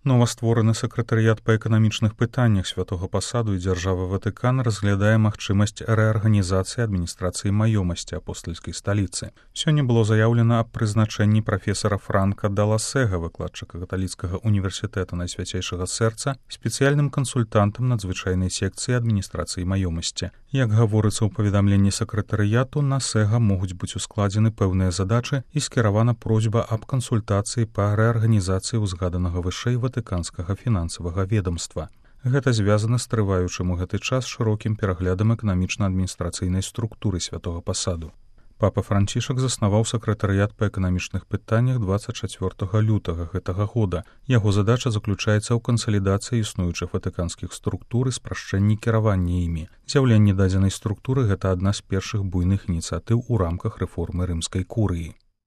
Новаствораны сакратарыят па эканамічных пытаннях святога пасаду і дзяржавы Ватыкан разглядае магчымасць рэарганізацыі адміністрацыі маёмасці апостальскай сталіцы. Сёння было заяўлена аб прызначэнні прафесара Франка Даласега, выкладчыка каталіцкага універсітэта Найсвяцейшага сэрца, спецыяльным кансультантам надзвычайнай секцыі адміністрацыі маёмасці. Як гаворыцца ў паведамленні сакратарыяту, на Сэга могуць быць ускладзены пэўныя задачы і скіравана просьба аб кансультацыі па рэарганізацыі ўзгаданага вышэй ватыканскага фінансавага ведамства. Гэта звязана з трываючым у гэты час шырокім пераглядам эканамічна-адміністрацыйнай структуры святога пасаду. Папа Францішак заснаваў сакратарыят па эканамічных пытаннях 24 лютага гэтага года. Яго задача заключаецца ў кансалідацыі існуючых ватыканскіх структур і спрашчэнні кіравання імі. З'яўленне дадзенай структуры – гэта адна з першых буйных ініцыятыў у рамках рэформы рымскай курыі.